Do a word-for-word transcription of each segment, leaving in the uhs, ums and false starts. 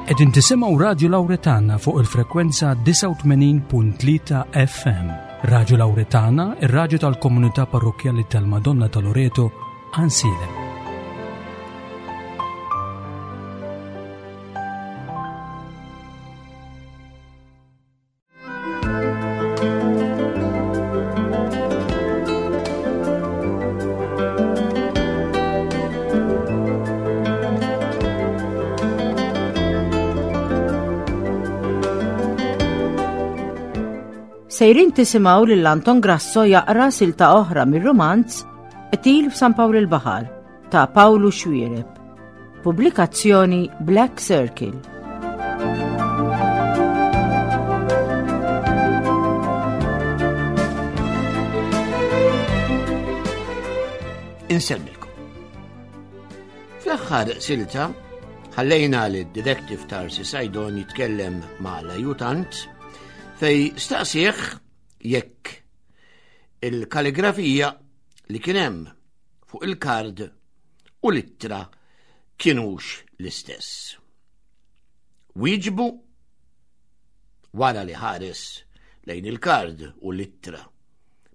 Qegħdin tisimgħu Radio Lauretana fuq il-frekwenza disgħa u tmenin punt tlieta F M. Radio Lauretana, ir-radju tal-komunità parrokkjali tal-Madonna ta' Loreto, Għajnsielem. Sejrin tisimgħu lil Anton Grasso jaqra silta oħra mir-romanz Qtil f'San Pawl il-Baħar ta' Pawlu Xuereb. Pubblikazzjoni Black Circle. Insellmilkom. Fl-aħħar silta ħallejna li d-detective Tarsi Sajdon jitkellem ma' l-ajutant fej staqsih jekk il-kaligrafija li kien hemm fuq il-kard u l-ittra kienux l-istess. Wieġbu wara li ħares lejn il-kard u l-ittra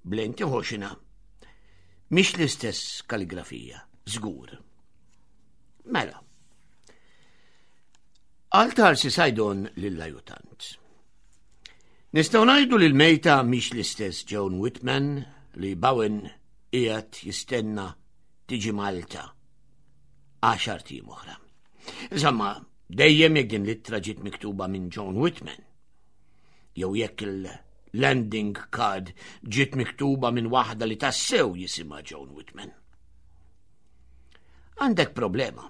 b'lenti ħoxna, mhix l-istess kaligrafija, żgur. Mela. Qal Tarsi Sajdon lill-ajutant: "Nistgħu ngħidu li l-mejta mhix l-istess Joan Whitman li Bowen qiegħed jistenna tiġi Malta għaxart ijiem oħra. Insomma, dejjem jekk din l-ittra ġiet miktuba minn Joan Whitman. Jew jekk il-landing card ġiet miktuba minn waħda li tassew jisimha Joan Whitman." "Għandek problema,"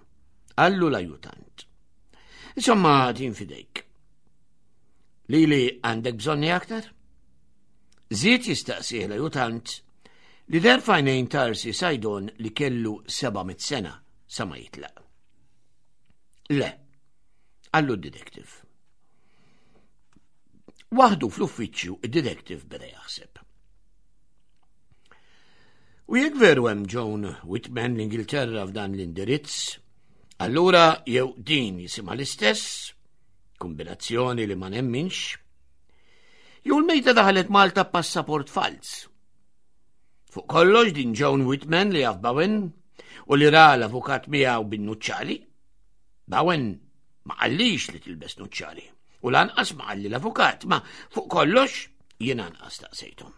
qallu l-ajutant. "Insomma, din fidejk. Lili għandek bżonni aktar?" Żied jistaqsih l-ajutant li deher f'għajnejn Tarsi Sajdon li kellu seba' mitt sena sa ma jitlaq. "Le," qallu d-detective. Waħdu fl-uffiċċju, id-detective beda jaħseb. U jekk veru hemm Joan Whitman l-Ingilterra f'dan l-indirizz, allura jew din jisimha l-istess, kombinazzjoni li ma nemminx, jew l-mejta daħlet Malta passaport fals. Fuq kollox, din Joan Whitman li jaf Bowen u li ra l-avukat miegħu bin-nuċċali. Bowen ma qallix li tilbes nuċċali u lanqas ma qalli l-avukat, ma fuq kollox jien anqas staqsejthom.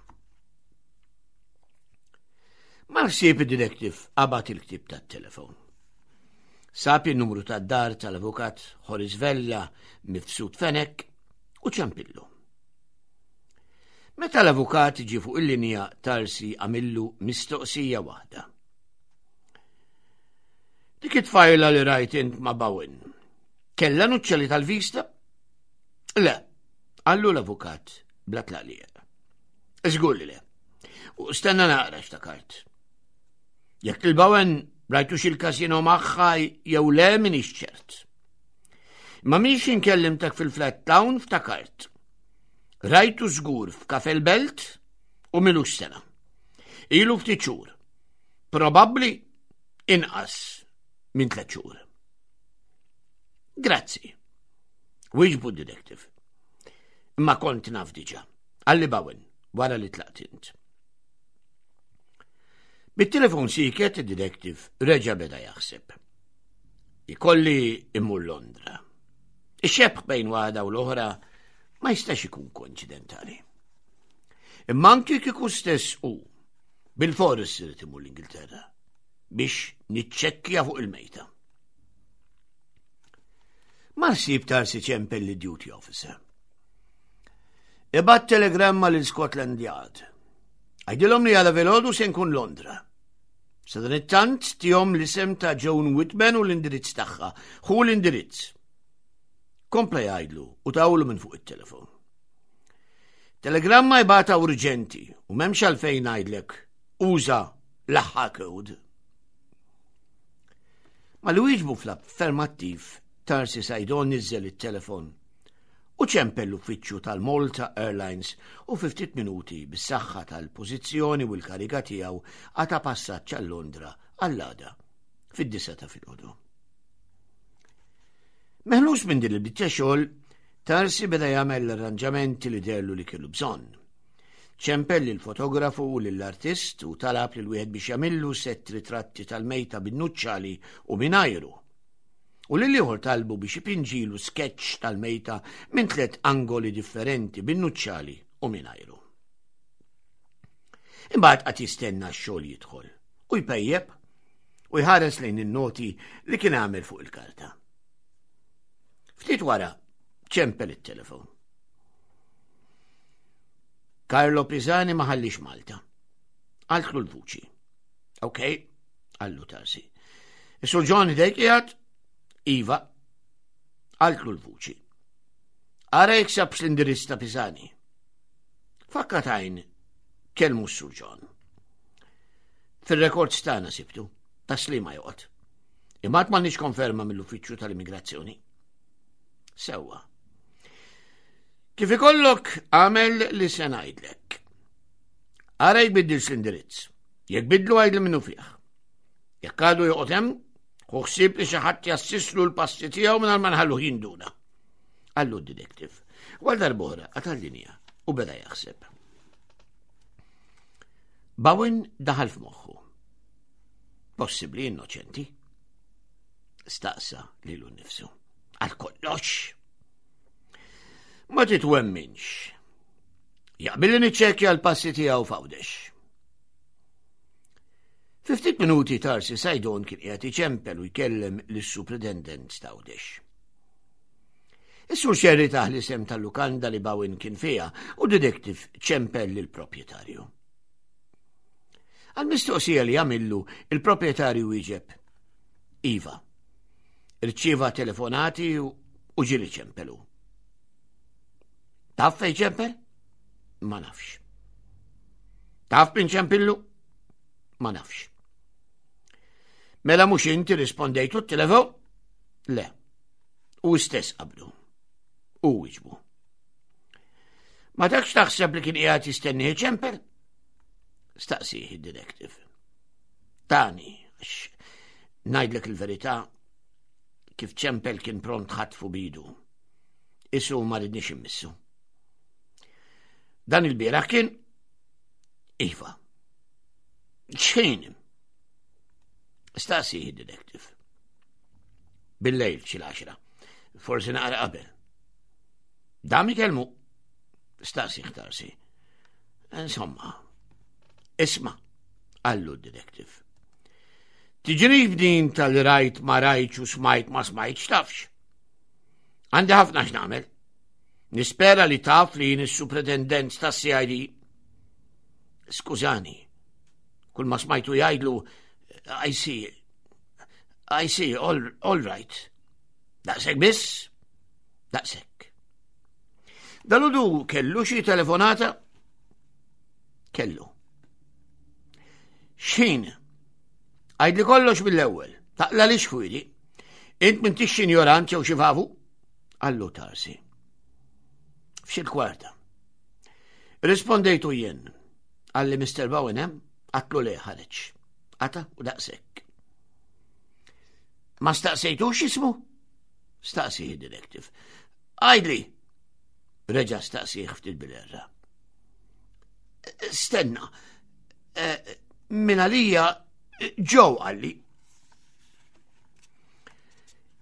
Mal-ħsieb, id-detective qabad il-ktib tat-telefon. Sab il-numru tad-dar tal-avukat Horace Vella Mifsud Fenech u ċempillu. Meta l-avukat ġi fuq il-linja, Tarsi għamillu mistoqsija waħda: "Dik it-tfajla li rajt int ma' Bowen, kella nuċċali tal-vista?" "Le," qallu l-avukat bla tlaqliq. "Żgur li le. U stenna naqra, xtakart. Jekk il-Bowen rajtux il-kasino magħha jew le, minix ċert. Ma miex inkellimtek fil-flat town ftakart. Rajtu żgur f'Kafè l-Belt u m'ilux sena. Ilu ftit xhur. Probabbli inqas minn tliet xhur." "Grazzi," wieġbu d-detective. "Imma kont naf diġà. Qalli Bowen wara li tlaqt int." Bit-telefon siket, id-detective reġa beda jaħseb. Ikolli immur Londra. Ix-xebh bejn waħda u l-oħra ma jistax ikun koinċidentali. Imma anki kieku stess u bil-fors irid imur l-Ingilterra biex niċċekkja fuq il-mejta. Mal-ħsieb, Tarsi ċempel lid-duty officer. "Ibgħat telegramma lil Scotland Yard. Għidilhom li għada filgħodu se nkun Londra. Sadanittant tihom l-isem ta' Joan Whitman u l-indirizz tagħha. Ħu l-indirizz." Kompla jgħidlu u tawlu minn fuq it-telefon. "Telegramma ibgħatha urġenti u m'hemmx għalfejn ngħidlek uża l-aħħar code." Malli wieġbu fl-affermattiv, Tarsi Sajdon niżel it-telefon u ċempel l-uffiċċju tal-Malta Airlines u fi ftit minuti, bis-saħħa tal-pożizzjoni u l-kariga tiegħu, qata' passaġġ għal Londra għall-għada fid-disgħa ta' filgħodu. Meħlus minn din il-biċċa xogħol, Tarsi beda jagħmel l-arranġamenti li dellu li kellu bżonn. Ċempel lill-fotografu u lill-artist u talab lil wieħed biex jagħmillu sett ritratti tal-mejta bin-nuċċali u mingħajru. U lil ieħor talbu biex ipinġilu sketch tal-mejta minn tliet angoli differenti bin-nuċċali u mingħajru. Imbagħad qed jistenna x-xogħol jidħol u jpejjeb u jħares lejn in-noti li kien għamel fuq il-karta. Ftit wara ċempel it-telefon. Carlo Pisani ma ħallix Malta. Qaltlu l-vuċi. Ok, qallu Tarsi. Is-Sur John ħdejk qiegħed? Iva. Qaltlu l-vuċi. Ara jekk sabx l-indirizz ta' Pisani. F'daqqa t'għajn kellmu s-Sur John. Fil-rekords tagħna sibtu, Tas-Sliema joqgħod. Imma m'għandniex konferma mill-uffiċċju tal-immigrazzjoni. Sewwa. Kif ikollok għamel li se ngħidlek. Ara jbiddilx l-indirizz. Jekk bidlu għidli minnufih. Jekk għadu joqgħod hemm, ħu ħsieb li xi ħadd jassislu l-passi tiegħu mingħajr ma nħalluh jinduna. Qallu d-detective. Għal darb'oħra qata' l-linja u beda jaħseb. Bowen daħal f'moħħu. Possibbli innoċenti. Staqsa lilu nnifsu. Għal kollox. Ma titwemminx. Jaqbilli niċċekkja l-passi tiegħu f'Għawdex. Fi ftit minuti Tarsi Sajdon kien qiegħed iċempel u jkellem lis-superintendent t'Għawdex. Is-sur Xerri tah l-isem tal-lukanda li Bowen kien fiha u detective ċempel lill-proprjetarju. Għal-mistoqsija li għamillu, il-proprjetarju wieġeb. Iva, irċieva telefonati u ġieli ċempelu. Taf fejn ċempel? Ma nafx. Taf min ċempillu? Ma nafx. Mela mhux inti rispondejtu t-telefon? Le. Hu stess qabdu. U wieġbu. Ma takx taħseb li kien qiegħed jistenni ċempel? Staqsih id-detective. Tani, għax ngħidlek il-verità, kif ċempel kien pront ħatfu b'idu. Isu ma ridnix immissu. Dan il-bieraħ kien Iva. X'ħin? Staqsih id-detective. Bil-lejl xi l-għaxra. Forsi naqra qabel. Dam ikellmu. Staqsih Tarsi. Insomma, isma', qallu d-detective. Tiġri b'din tal-rajt ma rajtx u smajt ma smajtx tafx. Għandi ħafna x'nagħmel. Nispera li taf li jien is-superintendent ta' C I D. Skużani, kull ma smajtu jgħidlu, "I see, I see, all, all right." Daqshekk biss? Daqshekk. Dalgħodu kellu xi telefonata? Kellu. X'ħin? Għidli kollox mill-ewwel. Taqla' xfwili. Int m'intix ignorant jew xi vavu? Qallu Tarsi. F'xi kwarta. Rispondejtu jien. Qalli Mister Bowen hemm, għedtlu le, ħareġ. Qata' u daqshekk. Ma staqsejtux ismu? Staqsih detective. Għidli. Reġa' staqsih ftit bil-erra. Stenna. Eh, min għalija Joe qalli.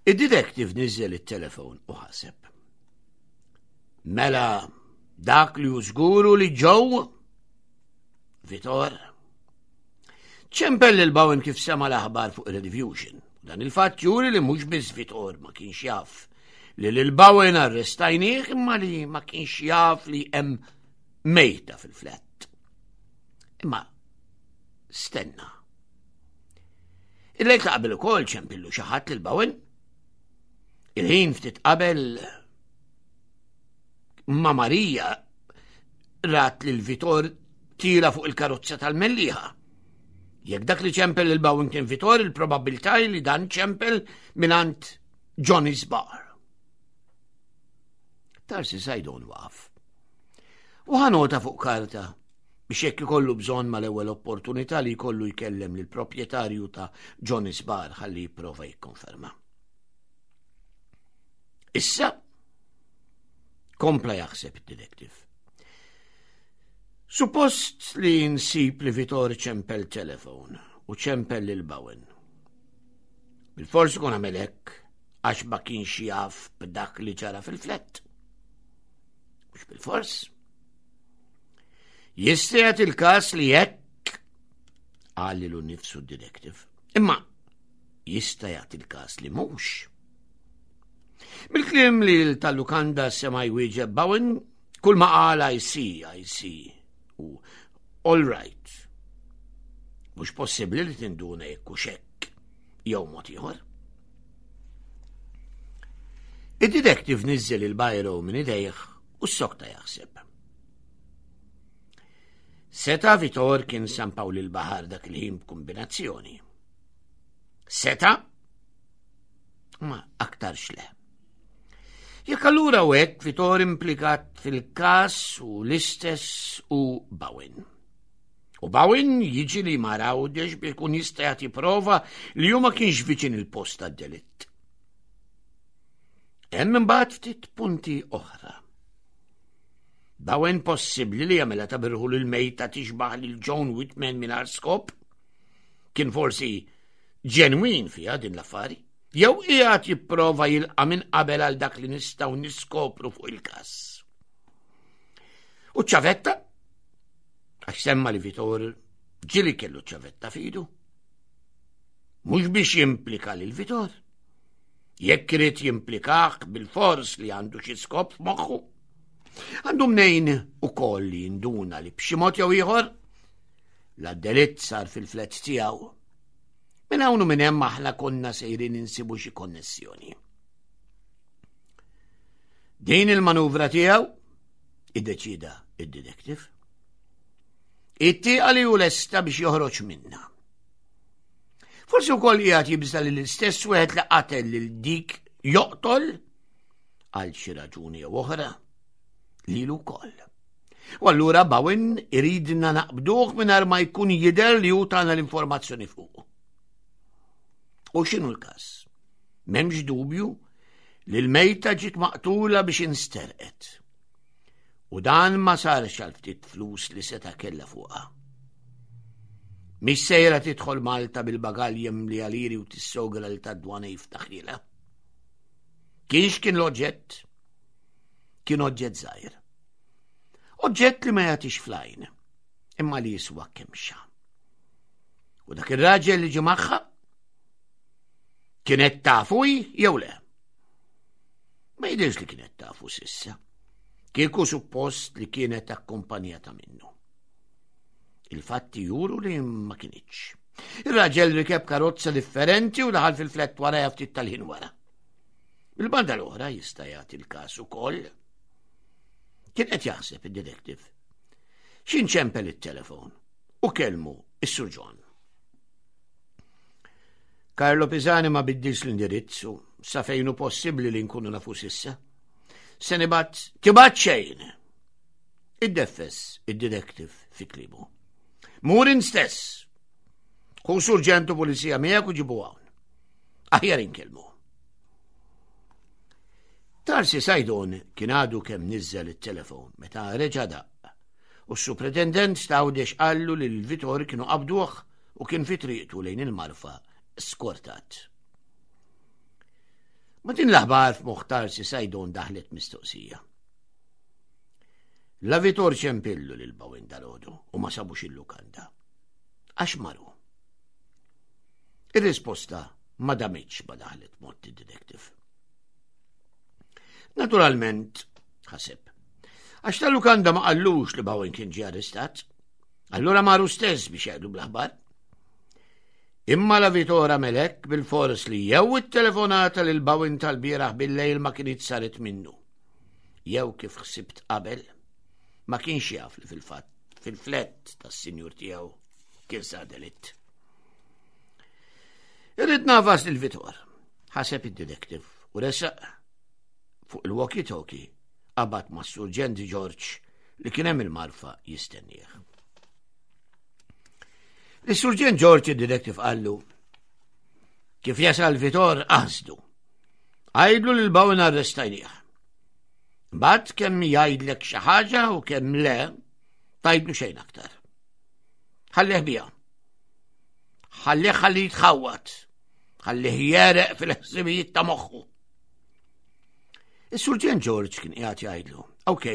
Id-detective niżel it-telefon u ħaseb. Mela, dak li żgur li Joe Vitor ċempel lil Bowen kif sema l-aħbar fuq il-Rediffusion. Dan il-fatt juri li mhux biss Vitor ma kienx jaf li lil Bowen arrestajnieh, imma li ma kienx jaf li hemm mejta fil-flat. Imma stenna. Il-lejl ta' qabel ukoll ċempillu xi ħadd lil Bowen. Il-ħin ftit qabel ma Marija rat lil Vitor tiela' fuq il-karozza tal-Mellieħa. Jekk dak li ċempel lil Bowen kien Vitor, il-probabilità li dan ċempel mingħand Johnny's Bar. Tarsi Sajdon waqaf. U ħa nota fuq karta biex jekk ikollu bżonn mal-ewwel opportunità li jkollu jkellem lil proprjetarju ta' Johnny's Bar ħalli jipprova jikkonferma. Issa, kompla jaħseb id-detective. Suppost li nsib li Vitor ċempel telefon u ċempel lil Bowen. Bil-fors ikun għamel hekk għax ma kienx jaf b'dak li ġara fil-flat. Mhux bil-fors. Jista' jagħti il-każ li hekk qal lilu nnifsu d-detective. Imma jista' jagħti il-każ li mhux. Bil-kliem li tal-lukanda sema' jwieġeb Bowen, kull ma qal "I see, I see" u "all right". Mhux possibbli li tinduna jekk hux hekk jew mod ieħor. Id-detective niżel il-biro minn idejh u s-sokta jaħseb. Seta' Vitor kien San Pawl il-Baħar dak il-ħin b'kombinazzjoni. Seta' ma aktarx le. Jekk allura u hekk, Vitor implikat fil-kas u l-istess u Bowen. U Bowen jiġi li mar Għawdex biex ikun jista' jagħti prova li hu ma kienx viċin il-post tad-delitt. Hemm imbagħad ftit punti oħra. Bowen possibbli li jagħmilha ta' birħu lil mejta tixbaħ lil John Whitman mingħajr skop? Kien forsi ġenwin fiha din l-affari? Jew qiegħed jipprova jilqa' minn qabel għal dak li nistgħu niskopru fuq il-każ? U ċavetta? Għax semma li Vitor ġieli kellu ċavetta f'idu. Mhux biex jimplika lil Vitor. Jekk irid jimplikah, bil-fors li għandu xi skop f'moħħu. Għandu mnejn ukoll li jinduna li b'xi mod jew ieħor la delitt sar fil-flat tiegħu. Minn hawn u minn hemm aħna konna sejrin insibu xi konnessjoni. Din il-manuvra tiegħu, iddeċida id-detective. It-tieqa li hu lesta biex joħroġ minna. Forsi wkoll qiegħed jibża li l-istess wieħed li qatel lil dik joqtol għal xi raġuni jew oħra lilu wkoll. U allura Bowen iridna naqbduh mingħajr ma jkun jidher li hu tana l-informazzjoni fuq. U x'inhu l-każ? M'hemmx dubju li l-mejta ġiet maqtula biex insterqet. U dan ma sarx għal ftit flus li seta' kella fuqha. Mhix sejra tidħol Malta bil-bagalji mimlija liri u tissogra li tad-dwana jiftaħilha. Kienx kien l-oġġett? Kien oġġett żgħir. Oġġett li ma jagħtix fl-għajn, imma li jiswa kemxa. U dak ir-raġel li ġie magħha kienet tafu jew le? Ma jidirx li kienet tafu s'issa. Kieku suppost li kienet akkompanjata minnu. Il-fatti juru li ma kinitx. Ir-raġel rikeb karozza differenti u daħal fil-flat wara ftit tal-ħin wara. Il-banda l-oħra jista' jagħti l-każ ukoll. Kien qed jaħseb id-detective. X'ħin ċempel it-telefon u kellmu is-Sur John. Carlo Pisani ma biddilx l-indirizzu sa fejn hu possibbli li nkunu nafu s'issa. Se nibgħat tibgħat xejn. Iddeffes id-detective fi kliemu. Mur int stess. Ħu surġentu pulizija miegħek u ġibu hawn. Aħjar inkellmu. Tarsi Sajdon kien għadu kemm niżel it-telefon meta reġa' daqq u s-supretendent t'Għawdex qallu li l-Vitor kienu qabduh u kien fi triqtu lejn il-Marfa skortat. Ma' din l-aħbar f'moħħ Tarsi Sajdon daħlet mistoqsija. La Vitor ċempillu lil Bowen dalgħodu u ma sabux il-lukanda. Għax maru? Ir-risposta ma damitx ma daħlet f'moħħ id-detective. Naturalment, ħaseb, għax tal-lukanda ma qallux li Bowen kien ġie arrestat, allura maru stess biex jgħidu bl-aħbar. Imma la Vitor għamel hekk, bil-fors li jew it-telefonata lil Bowen tal-bieraħ bil-lejl ma kienet saret minnu. Jew kif ħsibt qabel, ma kienx jaf li fil-fatt fil-flat tas-sinjur tiegħu kien sar delitt. Irrid nagħfas lil Vitor, ħaseb id-detective u resaq fuq il-walkie-talkie qabad ma' Surġent George li kien hemm il-Marfa jistennieh. Is-Surġent George id-detective qallu kif jasal Vitor qasdu. Għidlu lil Bowen arrestajnieh. Mbagħad kemm jgħidlek xi ħaġa u kemm le, tgħidlu xejn aktar. Ħallih biha. Ħallih ħalli jitħawwad. Ħallih jegħreq fil-ħsibijiet ta' moħħu. Is-Surġent George kien qiegħed jgħidlu, "Ok,"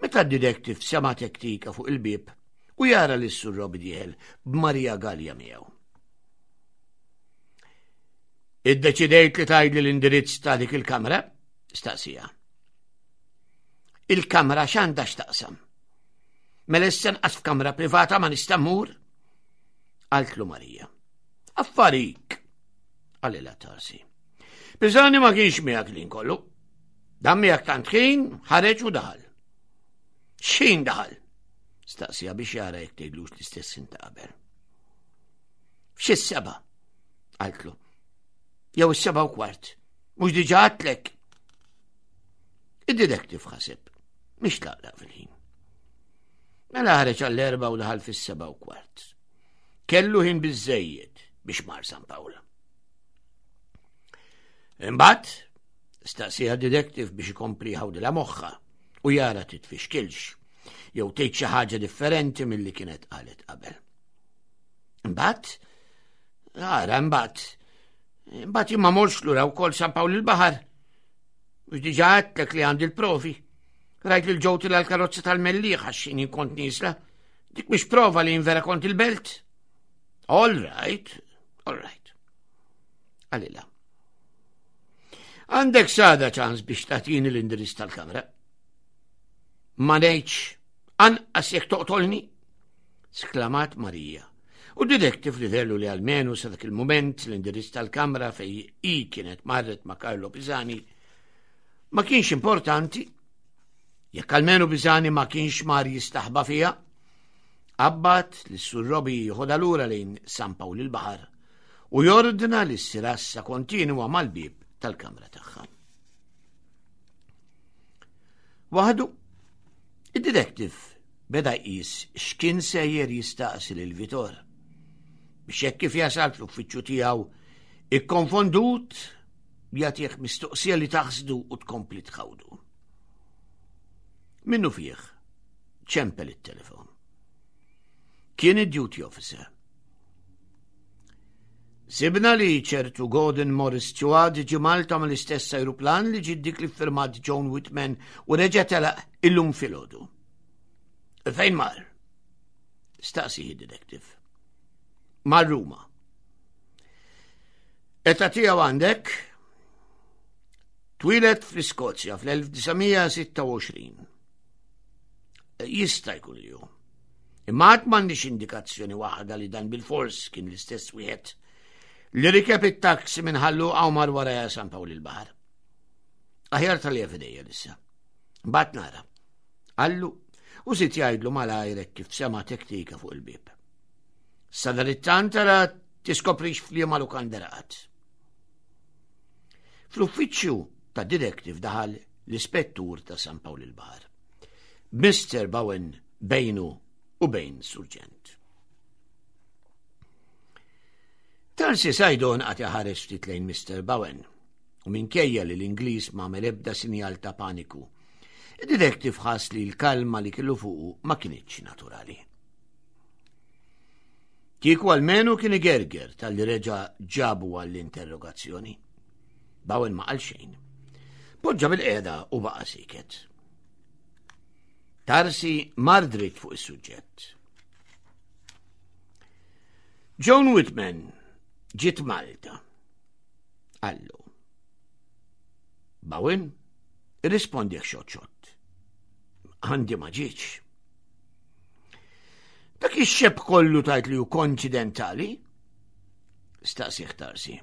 meta d-detective sema' tektika fuq il-bieb u jara li s-Sur Robbie dieħel b'Maria Gallia miegħu. "Iddeċidejt li tgħidli l-indirizz ta' dik il-kamra?" staqsija. "Il-kamra x'għandha x'taqsam? Mela issa nqas f'kamra privata ma nista' mmur?" qaltlu Marija. "Affarik," qalilha Tarsi. "Pisani ma kienx miegħek lin kollu. Dan miegħek tant ħin ħareġ u daħal." "X'ħin daħal?" staqsija biex jara jekk tgħidlux l-istess ta' qabel. "F'xi seba'," qaltlu. "Jew is-seba' u kwart. Mhux diġà għedtlek?" Id-detective ħaseb, mhix tlaqlaq fil-ħin. Mela ħareġ għall-erba u daħal fis-seba' u kwart. Kellu ħin biżejjed biex mar San Pawl. "Imbagħad?" staqsija detective biex ikompli ħawdilha moħħha u jara titfixkilx jew tgħid xi ħaġa differenti milli kienet qalet qabel. "Imbagħad, ara imbagħad, imbagħad jien ma morx lura wkoll San Pawl il-Baħar. Mhux diġà għedtlek li għandi l-provi? Rajt lil Joe tila l-karozza tal-Mellieħa għax jien kont niesla. Dik mhix prova li vera kont il-Belt?" "All right, all right," qalilha. "Għandek s'għada ċans biex tagħtini l-indirizz tal-kamra." "Ma ngħidx, anqas jekk toqtolni," sklamat Marija. U detective li dellu li almenu sa dak il-moment l-indirizz tal-kamra fej i kienet marret ma' Carlo Pisani ma kienx importanti, jekk almenu Pisani ma kienx mar jistaħba fija, qabbat li s-Sur Robi jieħodha lura lejn San Pawl il-Baħar u jordna li ssir għassa kontinwa mal-bib tal-kamra tagħha. Waħdu, id-detective beda jqis x'kien sejjer jistaqsi lil Vitor biex hekk kif jasal fl-uffiċċju tiegħu ikkonfondut jagħtih mistoqsija li taħsdu u tkompli tħawdu. Minnu fih, ċempel it-telefon. Kien id-duty officer. "Sibna li ċertu Gordon Morris Stewart ġi Malta mal-istess aeroplan li ġi dik li firmat John Whitman u reġa' telaq illum filgħodu." "Fejn mar?" staqsi detective. "Mar Ruma." "Età tiegħu għandek?" "Twieled fl-Iskozja fl-elf disa' mija sitta u għoxrin. Jista' jkun li hu. Imma għad m'għandix indikazzjoni waħda li dan bil-fors kien l-istess wieħed li rikeb it-taxi minn Ħal Luqa u mar wara San Pawl il-Baħar. Aħjar tal fidejja issa. Mbagħad nara," qallu u żied jgħidlu malajr kif sema tektika fuq il-bib. "Sadanittant ara tiskoprix f'liema lukanda raqad." Fl-uffiċċju ta' detective daħal l-ispettur ta' San Pawl il-Baħar, Mister Bowen bejnu u bejn surġent. Tarsi Sajdon qagħad iħares ftit lejn Mister Bowen u minkejja li l-Ingliż ma ebda sinjal ta' paniku, id-detective ħass li l-kalma li kellu fuqu ma kinitx naturali. Kieku almenu kien igerger talli reġa' ġabu għall-interrogazzjoni. Bowen ma qal xejn. Poġġa bilqiegħda u baqa' siket. Tarsi mar dritt fuq is-suġġett. "Joan Whitman ġiet Malta," qallu. Bowen irrispondieh xott xott. "Għandi ma ġietx." "Dak ix-xebh kollu tgħid li hu koinċidentali?" staqsieh Tarsi.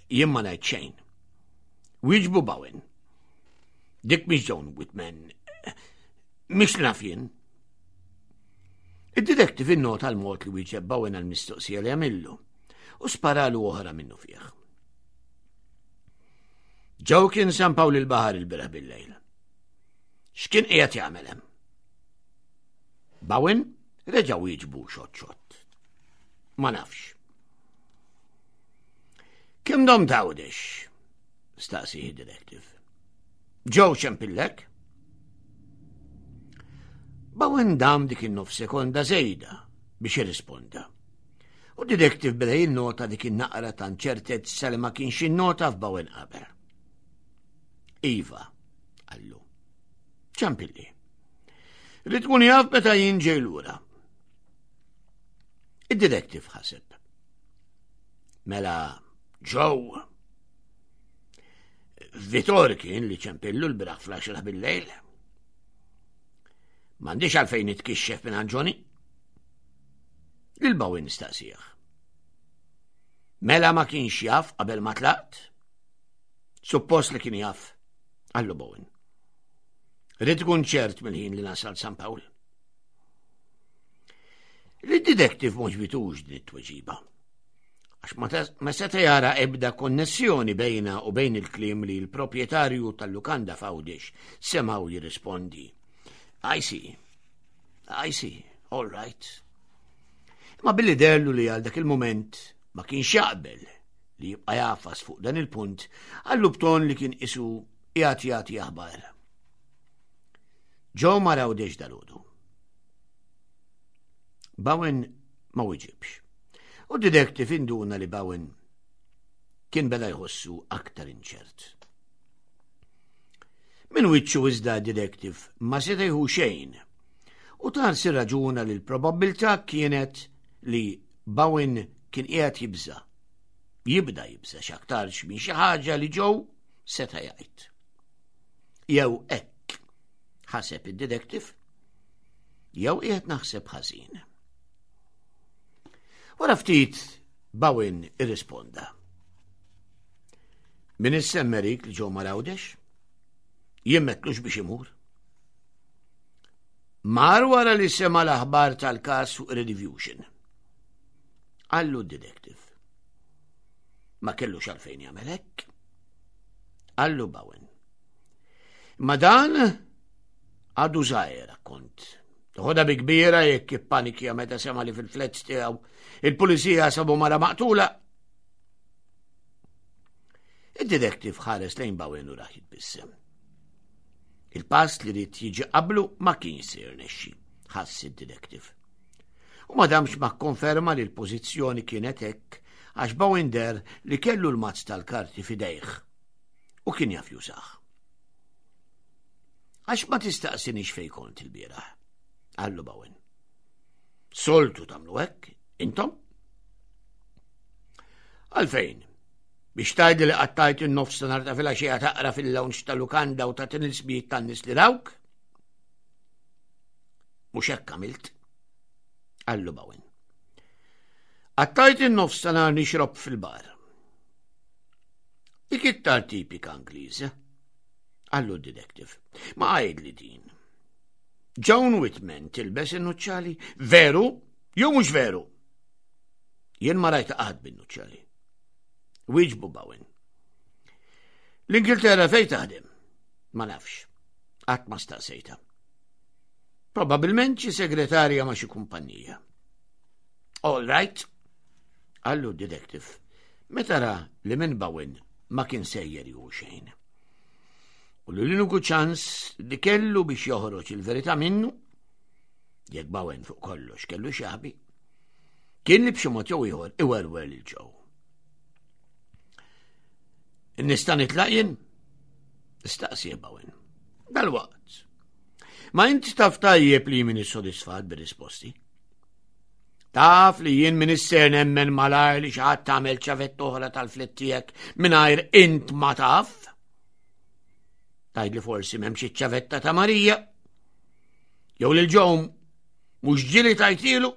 "Jien ma ngħid xejn," wieġbu Bowen. "Dik mhix Joan Whitman. Mhix naf jien." Id-detective innota l-mod li wieġeb Bowen għal-mistoqsija li għamillu u sparalu oħra minnu fih. "Joe kien San Pawl il-Baħar ilbieraħ bil-lejl. X'kien qiegħed jagħmel hemm?" Bowen reġa' wieġbu xott xott. "Ma nafx." "Kemm domt Għawdex?" Staqsieh detective. Joe ċempillek? Bowen dam dik in-nofs sekonda żejda biex jirrisponda. U detective beda jinnota dik in-naqra ta' inċertezza li ma kienx innota f'Bowen qabel. Iva, qallu. Ċempilli. Ried ikun jaf meta jien ġej lura. Id-detective ħaseb. Mela, Joe. Vitor kien li ċempillu lbieraħ fl-għaxra bil-lejl. M'għandix għalfejn nitkixxef minn Johnny. Lil Bowen staqsieh. Mela ma kienx jaf qabel ma tlaqt? Suppost li kien jaf, qallu Bowen. Ridt inkun ċert mill-ħin li nasal San Pawl. Lid-detective m'għoġbitux din it-tweġiba. Għax ma seta jara ebda konnessjoni bejnha u bejn il-kliem li l-proprjetarju tal-lukanda f'Għawdex semgħu jirrispondi. I see, I see, all right. Ma billi deherlu li għal dak il-moment ma kienx jaqbel li jibqa' jagħfas fuq dan il-punt, qallu b'ton li kien qisu jagħti jagħti aħbar. Joe mar Għawdex dalgħodu. Bowen ma wiġibx. U detective induna li Bowen kien beda jħossu aktar inċert. Min wiċċu iżda detective ma seta' jieħu xejn u tarsi raġuna li l-probabbiltà kienet li Bowen kien qiegħed jibża. Jibda jibża x'aktarx minn xi ħaġa li Joe seta' jgħid. Jew hekk ħaseb id-detective, jew qiegħed naħseb ħażin. Wara ftit Bowen irrisponda. Min issemmerik li Joe mar Għawdex? Jien m'għedtlux biex imur. Mar wara li sema l-aħbar tal-kas fuq Rediffusion. Qallu d-detective. Ma kellux għalfejn jagħmel hekk. Qallu Bowen. Ma dan għadu żgħir kont. Ħodha bi kbira jekk ippanikja meta sema li fil-flats tiegħu il-pulizija sabu mara maqtula. Id-detective ħares lejn Bowen u rah jitbissem. Il-pass li ried jiġi qablu ma kien se jirnexxi, ħass id-detective. U ma damx ma konferma li l-pożizzjoni kienet hekk għax Bowen deher li kellu l-mazz tal-karti f'idejh u kien jaf jużah. Għax ma tistaqsinix fej kont il-bieraħ, qallu Bowen. Soltu tagħmlu hekk, intom? Għalfejn, biex tgħidli li qattajt in-nofs ta' nhar ta' filgħaxija taqra fil-lounge tal-lukanda u tagħtini l-ismijiet tan-nies li rawk? Mhux hekk għamilt, qallu Bowen. Qattajt in-nofs ta' nhar nixrob fil-bar. Dik iktar tipika Ingliża, qallu d-detective. Ma għidli din. Joan Whitman tilbes in-nuċċali, veru jew mhux veru? Jien ma rajtha qatt bin-nuċċali. Wieġbu Bowen. L-Ingilterra fej taħdem? Ma nafx. Qatt ma staqsejta. Probabilment xi segretarja ma' xi kumpanija. All right, qallu detective, meta ra li minn Bowen ma kien sejjer jieħu xejn. U l-uniku ċans li kellu biex joħroġ il-verità minnu, jekk Bowen fuq kollox kellu x'jaħbi, kien li b'xi mod jew ieħor iwerwer lil Joe. Nista' nitlaq jien? Staqsieh Bowen. Dal-waqt. Ma inti taf tajjeb li m'iniex sodisfat bir-risposti. Taf li jien m'iniex ser nemmen malajr li xi ħadd tagħmel ċavetta oħra tal-flat tiegħek mingħajr int ma taf. Tgħidli forsi m'hemmx iċ-ċavetta ta' Marija. Jew lil Joe mhux ġieli tajtilu.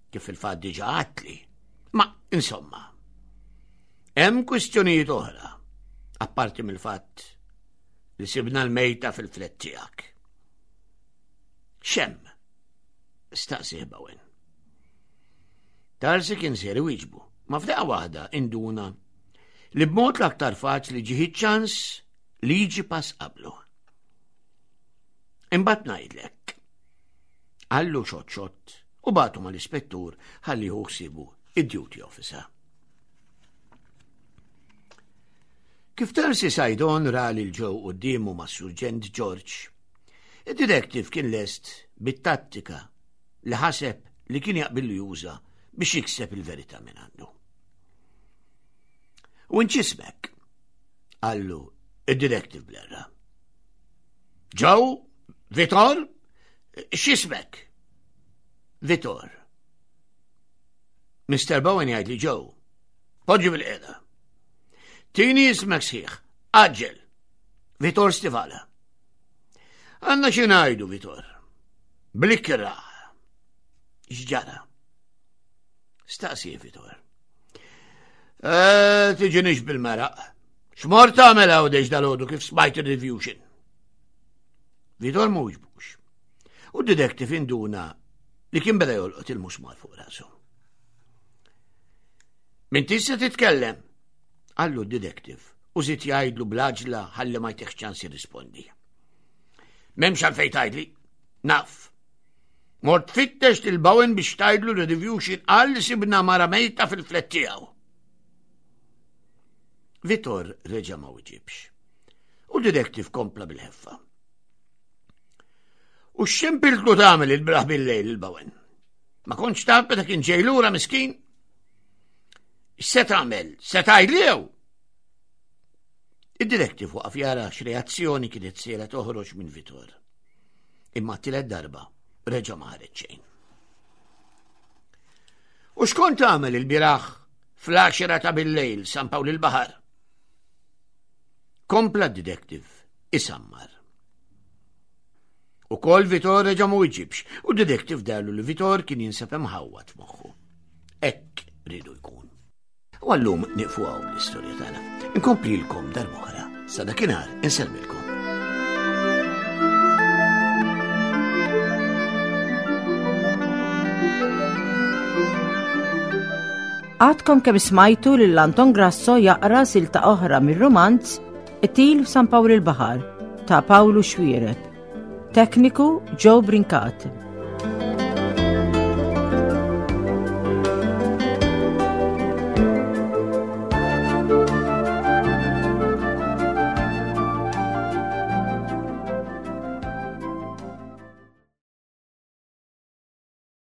Kif il-fatt diġà għedtli. Ma insomma, hemm kwistjonijiet oħra, apparti mill-fatt li sibna l-mejta fil-flat tiegħek. X'hemm? Staqsieh Bowen. Tarsi kien ser iwieġbu, ma f'daqqa waħda induna li b'mod l-aktar faċli ġieħ ċans li jiġi pass qablu. Imbagħad ngħidlek. Qallu xott xott u bagħtu mal-ispettur ħalli jieħu ħsiebu id-duty officer. Kif Darcy Saydon ra lil Joe quddiemu ma' Surġent George, id-detective kien lest bit-tattika li ħaseb li kien jaqbillu juża biex jikseb il-verità minn għandu. U int x'ismek? Qallu id-detective blerra. Joe, Vitor, x'ismek? Vitor. Mister Bowen jgħid li Joe. Poġġi bilqiegħda. Tini ismek sħiħ. Għaġġel. Vitor Stivala. Għandna xi ngħidu, Vitor. Bl-ikrah. X'ġara? Staqsi, Vitor. Eh, tiġinix bil-maraq. X'mort tagħmel Għawdex dalgħodu kif smajt il-reviewtion? Vitor ma wiġbux. U d-detective induna li kien beda jolqot il-musmar fuq rasu. M'intix se titkellem, qallu d-detective, u żied jgħidlu bl-għaġla ħalli ma jtihx ċans jirrispondi. M'hemmx għalfejn tgħidli, naf. Mort tfittex lil Bowen biex tgħidlu li reviewtion qal li sibna mara mejta fil-flat tiegħu. Vitor reġa' ma wiġibx. U detective kompla bil-ħeffa. U x'ċempiltlu tagħmel ilbieraħ bil-lejl lil Bowen? Ma kontx taf meta kien ġej lura miskin? Se tagħmel? Se tgħidli jew? Id-detective waqaf jara x'reazzjoni kienet sejra toħroġ minn Vitor. Imma t-tielet darba reġa' ma ħareġ xejn. U x'kont tagħmel ilbieraħ fl-għaxra ta' bil-lejl San Pawl il-Baħar? Kompla d-detective isammar. Ukoll Vitor reġa' ma wiġibx u d-detective dehrlu li Vitor kien jinsab imħawwad f'moħħu. Hekk riedu jkun. U għal-lum nieqfu hawn l-istorja tagħna. Inkomplilkom darb'oħra. Sa dakinhar insellmilkom. Għadkom kemm smajtu lil Anton Grasso jaqra silta oħra mir-romanz Qtil f'San Pawl il-Baħar ta' Pawlu Xuereb. Tekniku Joe Brincat.